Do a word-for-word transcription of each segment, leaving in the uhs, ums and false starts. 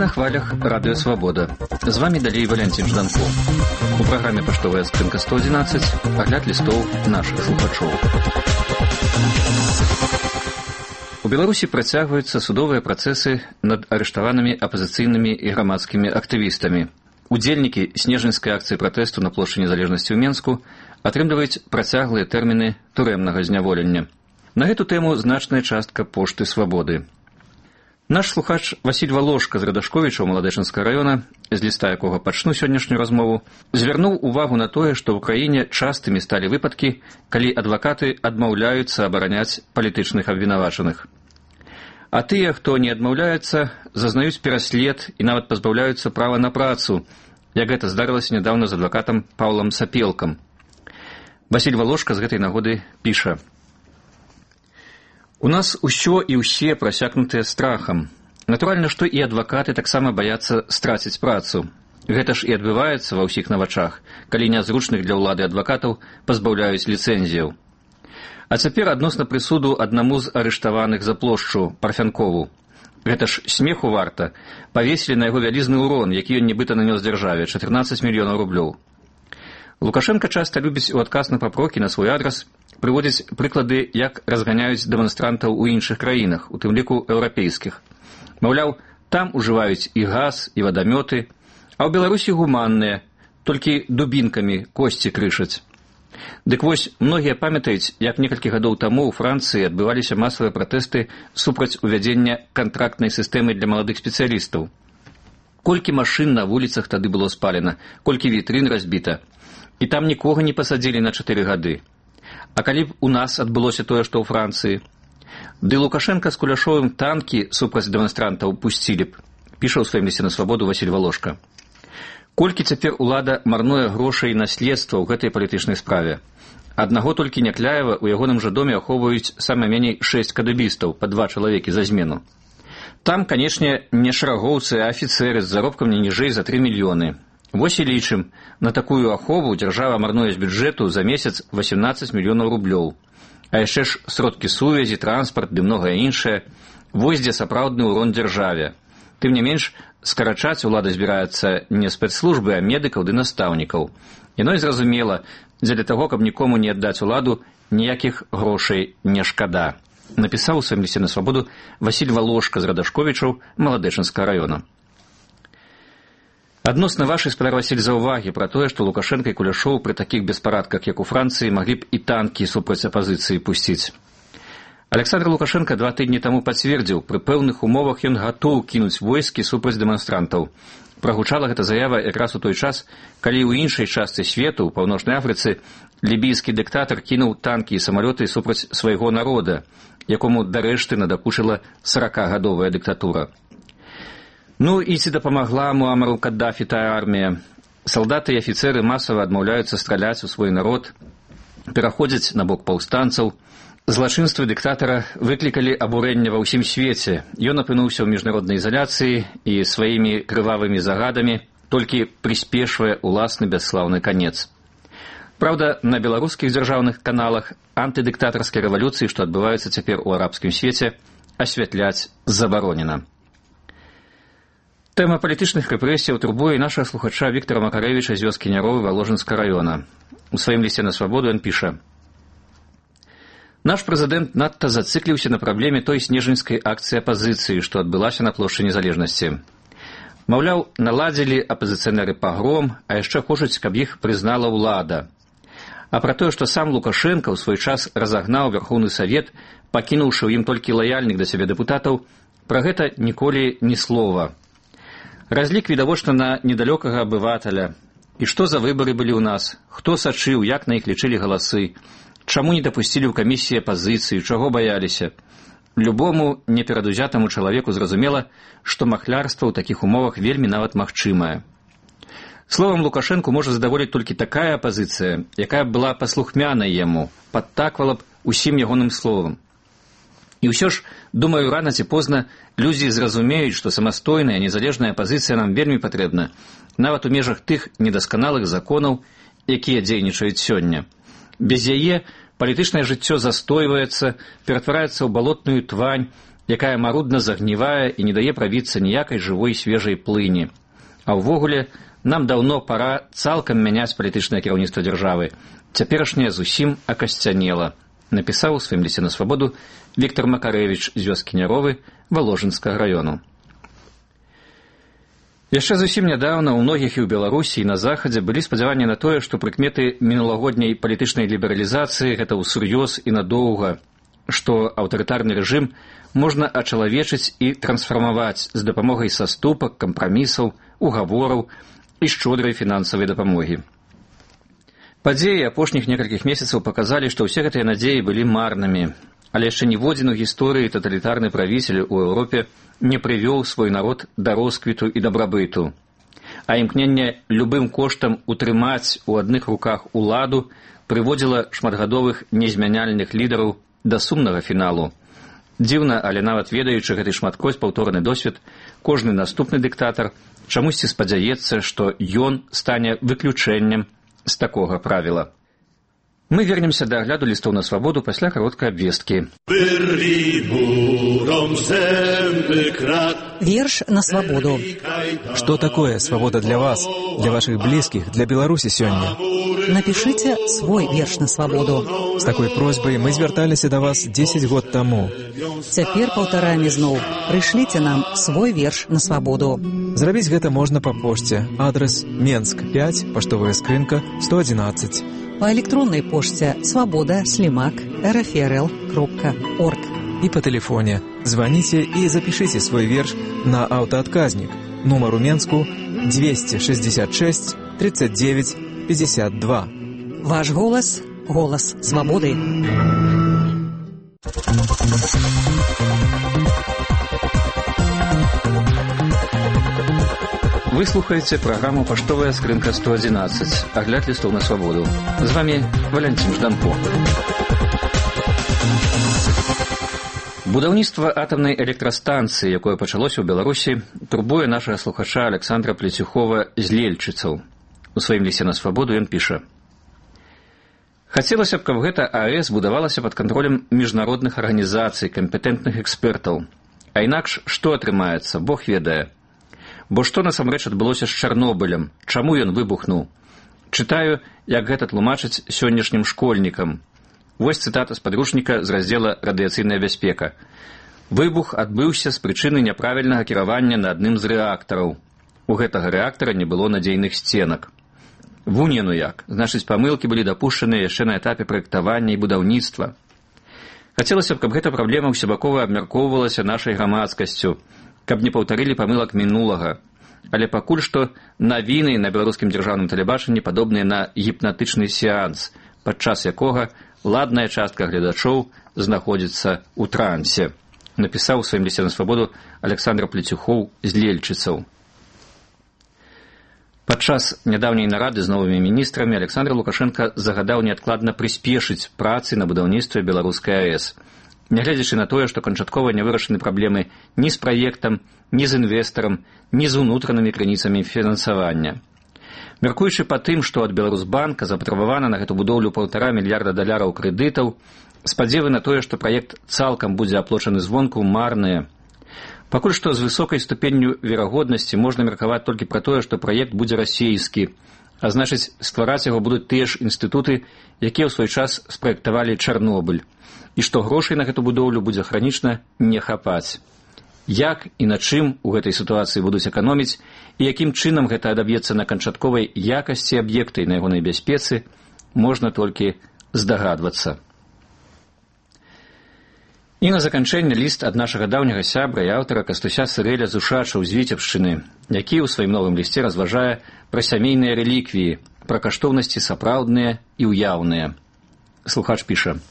на хвалях Радыё Свабода. З вами далей Валянцін Жданков. У праграме «Паштовая скрынка сто одиннадцать» агляд лістоў нашых слухачоў. У Беларусі працягваюцца судовыя працэсы над арыштаванымі апазіцыйнымі і грамадскімі актывістамі. Удзельнікі снежаньскай акцыі пратэсту на плошчы Незалежнасці ў Менску атрымліваюць працяглыя тэрміны турэмнага зняволення. На гэту тэму значная частка пошты Свабоды. Наш слухач Васіль Валошка з Радашковіча ў Маладэчынскага раёна, з ліста якога пачну сённяшнюю размову, звярнуў увагу на тое, што ў краіне частымі сталі выпадкі, калі адвакаты адмаўляюцца абараняць палітычных абвінавачаных. А тыя, хто не адмаўляецца, зазнаюць пераслед і нават пазбаўляюцца права на працу, як гэта здарылася нядаўна з адвакатам Паўлам Сапелкам. Васіль Валошка з гэтай нагоды піша: «У нас усё і ўсе прасякнутыя страхам. Натуральна, што і адвакаты таксама баяцца страціць працу. Гэта ж і адбываецца ва ўсіх на вачах, калі нязручных для ўлады адвакатаў пазбаўляюць ліцэнзіяў. А цяпер адносна прысуду аднаму з арыштаваных за плошчу Парфянкову. Гэта ж смеху варта. Павесілі на яго вялізны ўрон, які ён нібыта нанёс дзяржаве, чатырнаццаць мільёнаў рублёў. Лукашенка часта любіць у адказ на папрокі на свой адрас прыводзіць прыклады, як разганяюць дэманстрантаў у іншых краінах, у тым ліку еўрапейскіх. Маўляў, там ужываюць і газ, і вадамёты, а ў Беларусі гуманныя, толькі дубінкамі косці крышаць. Дык вось, многія памятаюць, як некалькі гадоў таму ў Францыі адбываліся масавыя пратэсты супраць увядзення кантрактнай сістэмы для маладых спецыялістаў. Колькі машын на вуліцах тады было спалена, колькі вітрын разбіта. І там нікога не пасадзілі на чатыры гады. А калі б у нас адбылося тое, што ў Францыі? Ды Лукашенка з Куляшовым танкі супраць дэманстрантаў пусцілі б, піша ў сваім лісце на Свабоду Васіль Валошка. Колькі цяпер улада марнуе грошай і наследства ў гэтай палітычнай справе? Аднаго толькі Някляева ў ягоным жа доме ахоўваюць сама меней шэсць кадыбістаў, па два чалавекі за змену. Там, канечне, не шарагоўцы, а афіцэры з заробкам не ніжэй за тры мільёны. Вось і лічым, на такую ахову дзяржава марнуе з бюджэту за месяц восемнадцаць мільёнаў рублёў. А яшчэ ж сродкі сувязі, транспарт ды многае іншае. Вось дзе сапраўдны ўрон дзяржаве. Тым не менш, скарачаць улада збіраецца не спецслужбы, а медыкаў ды настаўнікаў. Яно і зразумела, дзеля таго, каб нікому не аддаць уладу, ніякіх грошай не шкада. Напісаў у сваім лісце на Свабоду Васіль Валошка з Радашковічаў Маладэчынскага раёна. Адносна вашай, спадар Васіль, заўвагі пра тое, што Лукашенка і Куляшоў пры такіх беспарадках, як у Францыі, маглі б і танкі супраць апазіцыі пусціць. Александр Лукашенка два тыдні таму пацвердзіў, пры пэўных умовах ён гатоў кінуць войскі супраць дэманстрантаў. Прагучала гэта заява якраз у той час, калі ў іншай частцы свету, у Паўночнай Афрыцы, лібійскі дыктатар кінуў танкі і самалёты супраць свайго народа, якому дарэшты надакучыла саракагадовая дыктатура. Ну і ці дапамагла Муамару Каддафі тая армія? Салдаты і афіцэры масава адмаўляюцца страляць у свой народ, пераходзяць на бок паўстанцаў. Злачынствы дыктатара выклікалі абурэнне ва ўсім свеце. Ён апынуўся ў міжнароднай ізаляцыі і сваімі крывавымі загадамі толькі прыспешвае уласны бясслаўны канец. Праўда, на беларускіх дзяржаўных каналах антыдыктатарскай рэвалюцыі, што адбываюцца цяпер у арабскім свеце, асвятляць забаронена. Тэма палітычных рэпрэсіяў турбуе нашага слухача Віктара Макарэвіча з вёскі Няровы Валожынскага раёна. У сваім лісце на Свабоду ён піша: «Наш прэзідэнт надта зацикліўся на праблеме той снежаньскай акцыі апазіцыі, што адбылася на плошчы Незалежнасці. Маўляў, наладзілі апазіцыянеры пагром, а яшчэ хочуць, каб іх прызнала ўлада. А пра тое, што сам Лукашенка ў свой час разагнаў Вярхоўны Савет, пакінуўшы ў ім толькі лаяльных да сябе дэпутатаў, пра гэта ніколі ні слова. Разлік відавочна на недалёкага абывателя. І што за выбары былі ў нас? Хто сачыў, як на іх лічылі галасы? Чаму не дапусцілі ў камісіі апазіцыі? Чаго баяліся? Любому неперадузятаму чалавеку зразумела, што махлярства ў такіх умовах вельмі нават магчымае. Словам, Лукашэнку можа задаволіць толькі такая апазіцыя, якая была паслухмянай яму, падтаквала б усім ягоным словам. І ўсё ж, думаю, рана ці позна людзі зразумеюць, што самастойная, незалежная апазіцыя нам вельмі патрэбна, нават у межах тых недасканалых законаў, якія дзейнічаюць сёння. Без яе палітычнае жыццё застойваецца, ператвараецца ў балотную твань, якая марудна загнівае і не дае правіцца ніякай жывой свежай плыні. А ўвогуле, нам даўно пара цалкам мяняць палітычнае кіраўніцтва дзяржавы. Цяперашняе зусім акасцянела, напісаў у сваім лісце на свабоду Віктор Макарэвіч з вёскі Няровы Валожынскага раёну. Яшчэ зусім нядаўна ў многіх і ў Беларусі, і на Захадзе былі спадзяванні на тое, што прыкметы мінулагодняй палітычнай лібералізацыі гэта ўсур'ёз і надоўга, што аўтарытарны рэжым можна ачалавечыць і трансфармаваць з дапамогай саступак, кампрамісаў, угавораў і шчодрай фінансавай дапамогі. Падзеі апошніх некалькіх месяцаў паказалі, што ўсе гэтыя надзеі былі марнымі, але яшчэ ніводзін у гісторыі таталітарны правіцель у Еўропе не прывёў свой народ да росквіту і дабрабыту, а імкненне любым коштам утрымаць у адных руках уладу прыводзіла шматгадовых незмяняльных лідараў да сумнага фіналу. Дзіўна, але нават ведаючы гэты шматкроць паўторны досвед, кожны наступны дыктатар чамусьці спадзяецца, што ён стане выключэннем з такога правіла. Мы вернемся да агляду лістоў на свабоду пасля кароткай абвесткі. Верш на свободу. Что такое свобода для вас, для ваших близких, для Беларуси сегодня? Напишите свой верш на свободу. С такой просьбой мы зверталіся до вас десять год тому. Цяпер паўтарамі зноў. Прышліце нам свой верш на свободу. Зрабіць гэта можна па пошце. Адрес Менск пять, паштовая скрынка сто одиннадцать. По электронной почте свобода слимак эр эф эр эл кропка орг. И по телефоне. Звоните и запишите свой верш на автоотказник. Номер у Менску двести шестьдесят шесть тридцать девять пятьдесят два. Ваш голос – голос свободы. Вы слухаеце праграму «Паштовая скрынка сто одиннадцать», агляд лістоў на свабоду. З вами Валянцін Жданко. Будаўніцтва атамнай электрастанцыі, якое пачалося ў Беларусі, турбуе нашага слухача Александра Плецюхова з Лельчыцаў. У сваім лісце на свабоду ён піша: «Хацелася б, каб гэта АЭС будавалася пад кантролем міжнародных арганізацый, кампетэнтных экспертаў. А інакш што атрымаецца, Бог ведае. Бо што насамрэч адбылося з Чарнобылем, чаму ён выбухнуў? Чытаю, як гэта тлумачыць сённяшнім школьнікам. Вось цытата з падручніка з раздзела «Радыяцыйная бяспека». Выбух адбыўся з прычыны няправільнага кіравання на адным з рэактараў. У гэтага рэактара не было надзейных сценак. Вунь яно як, значыць, памылкі былі дапушчаныя яшчэ на этапе праектавання і будаўніцтва. Хацелася б, каб гэта праблема ўсебакова абмяркоўвалася нашай грамадскасцю, каб не паўтарылі памылак мінулага. Але пакуль што навіны на беларускім дзяржаўным тэлебачанні падобныя на гіпнатычны сеанс, падчас якога ладная частка гледачоў знаходзіцца ў трансе, напісаў у сваім лісце на свабоду Александр Плецюхоў з Лельчыцаў. Падчас нядаўняй нарады з новымі міністрамі Александр Лукашенко загадаў неадкладна прыспешыць працы на будаўніцтве беларускай АЭС, нягледзячы на тое, што канчаткова не вырашаны праблемы ні з праектам, ні з інвестарам, ні з унутранымі крыніцамі фінансавання. Мяркуючы па тым, што ад Беларусбанка запатрабавана на гэту будоўлю паўтара мільярда даляраў крэдытаў, спадзевы на тое, што праект цалкам будзе аплочаны звонку, марныя. Пакуль што з высокай ступенню верагоднасці можна меркаваць толькі пра тое, што праект будзе расейскі, а значыць, ствараць яго будуць тыя ж інстытуты, якія ў свой час спраектавалі Чарнобыль, і што грошай на гэту будоўлю будзе хранічна не хапаць. Як і на чым у гэтай сітуацыі будуць эканоміць і якім чынам гэта адаб'ецца на канчатковай якасці аб'екта і на ягонай бяспецы, можна толькі здагадвацца. І на заканчэнне ліст ад нашага даўняга сябра і аўтара Кастуся Сырэля з Ушачаў з Віцебшчыны, які ў сваім новым лісце разважае пра сямейныя рэліквіі, пра каштоўнасці сапраўдныя і ўяўныя. Слухач піша: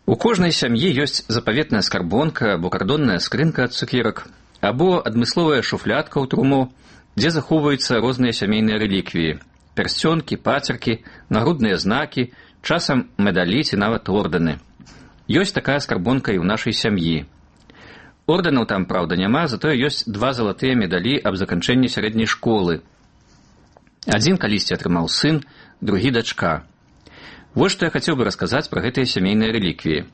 «У кожнай сям'і ёсць запаветная скарбонка або кардонная скрынка ад цукерак, або адмысловая шуфлядка ў труму, дзе захоўваюцца розныя сямейныя рэліквіі, пярсцёнкі, пацеркі, нагрудныя знакі, часам медалі ці нават ордэны. Ёсць такая скарбонка і ў нашай сям'і. Ордэнаў там, праўда, няма, затое ёсць два залатыя медалі аб заканчэнні сярэдняй школы. Адзін калісьці атрымаў сын, другі дачка. Вось што я хацеў бы расказаць пра гэтыя сямейныя рэліквіі.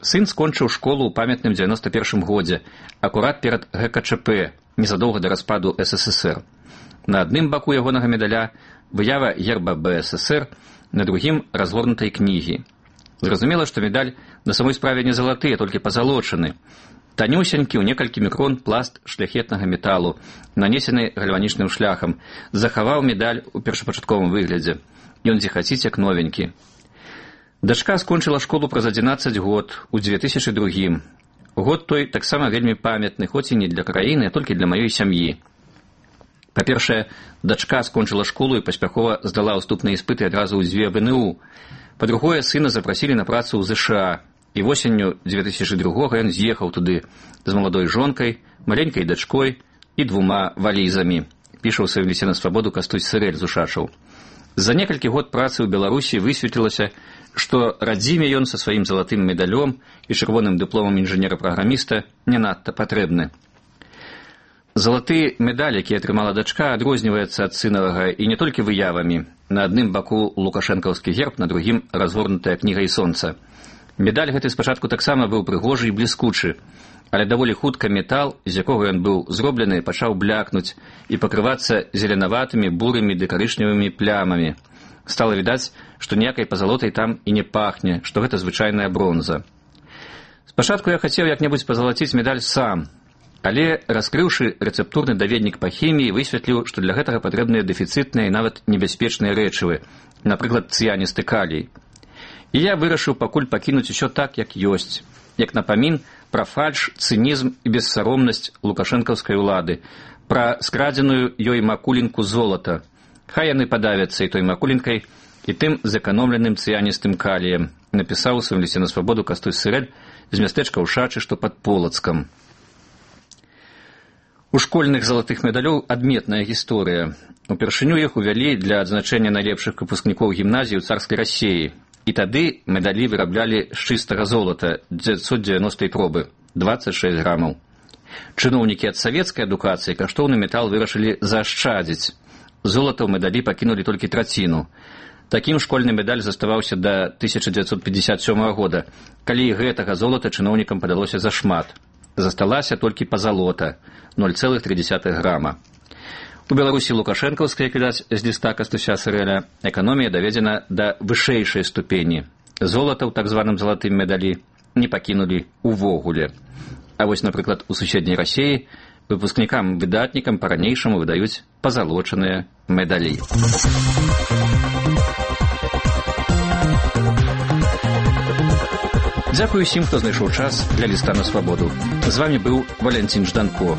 Сын скончыў школу ў памятным дзевяноста першым годзе, акурат перад гэ ка чэ пэ, незадоўга да распаду эс эс эс эр. На адным баку ягонага медаля выява герба бэ эс эс эр, на другім разгорнутай кнігі. Зразумела, што медаль на самой справе не залаты, а толькі пазалочаны. Танюсенькі ў некалькі мікрон пласт шляхетнага металу, нанесены гальванічным шляхам, захаваў медаль у першапачатковым выглядзе. Ён зіхаціць як новенькі. Дачка скончыла школу праз адзінаццаць год у дзве тысячы другім. Год той таксама вельмі памятны, хоць і не для краіны, а толькі для маёй сям'і. Па-першае, дачка скончыла школу і паспяхова здала ўступныя іспыты адразу ў дзве бэ эн у. Па-другое, сына запрасілі на працу ў зэ ша а, і восенню дзве тысячы другога ён з'ехаў туды з маладой жонкай, маленькай дачкой і двума валізамі, піша ў сваім лісце на свабоду Кастусь Сырэль з Ушачаў. За некалькі год працы ў Беларусі высветлілася, што радзіме ён са сваім залатым медалём і чырвоным дыпломам інжынера-праграміста не надта патрэбны. Залаты медаль, які атрымала дачка, адрозніваецца ад сынавага і не толькі выявамі. На адным баку лукашэнкаўскі герб, на другім разгорнутая кніга і сонца. Медаль гэты спачатку таксама быў прыгожы і бліскучы, але даволі хутка метал, з якога ён быў зроблены, пачаў блякнуць і пакрывацца зеленаватымі, бурымі ды карычневымі плямамі. Стала відаць, што ніякай пазалотай там і не пахне, што гэта звычайная бронза. Спачатку я хацеў як-небудзь пазалаціць медаль сам, але, раскрыўшы рэцэптурны даведнік па хіміі, высветліў, што для гэтага патрэбныя дэфіцытныя і нават небяспечныя рэчывы, напрыклад, цыяністы калій. І я вырашыў пакуль пакінуць усё так, як ёсць, як напамін пра фальш, цынізм і бессаромнасць лукашэнкаўскай улады, пра скрадзеную ёй макулінку золата. Хай яны падавяцца і той макулінкай, і тым зэканомленым цыяністым каліем, напісаў у сваім лісце на свабоду Кастусь Сырэль з мястэчка Ушачы, што пад Полацкам. У школьных залатых медалёў адметная гісторыя. Упершыню іх увялі для адзначэння найлепшых выпускнікоў гімназіі ў царскай Расіі. І тады медалі выраблялі з чыстага золата дзевяцьсот дзевяностай пробы, дваццаць шэсць грамаў. Чыноўнікі ад савецкай адукацыі каштоўны метал вырашылі заашчадзіць. Золата ў медалі пакінулі толькі траціну. Такім школьны медаль заставаўся да тысяча дзевяцьсот пятьдесят сёмага года, калі гэтага золата чыноўнікам падалося зашмат. Засталася толькі пазалота, ноль цэлых тры дзесятых грама. У Беларусі лукашэнкаўскай, як відаць з ліста Кастуся Сырэля, эканомія даведзена да вышэйшай ступені. Золата ў так званым залатым медалі не пакінулі увогуле. А вось, напрыклад, у суседняй Расіі выпускнікам-выдатнікам па-ранейшаму выдаюць пазалочаныя медалі. Дзякую усім, хто знайшоў час для ліста на свабоду. З вамі быў Валянцін Жданко.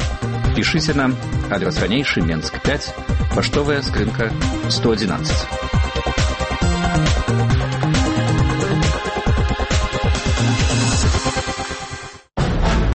Пішыце нам, адрас ранейшы, Менск пяць, паштовая скрынка сто адзінаццаць.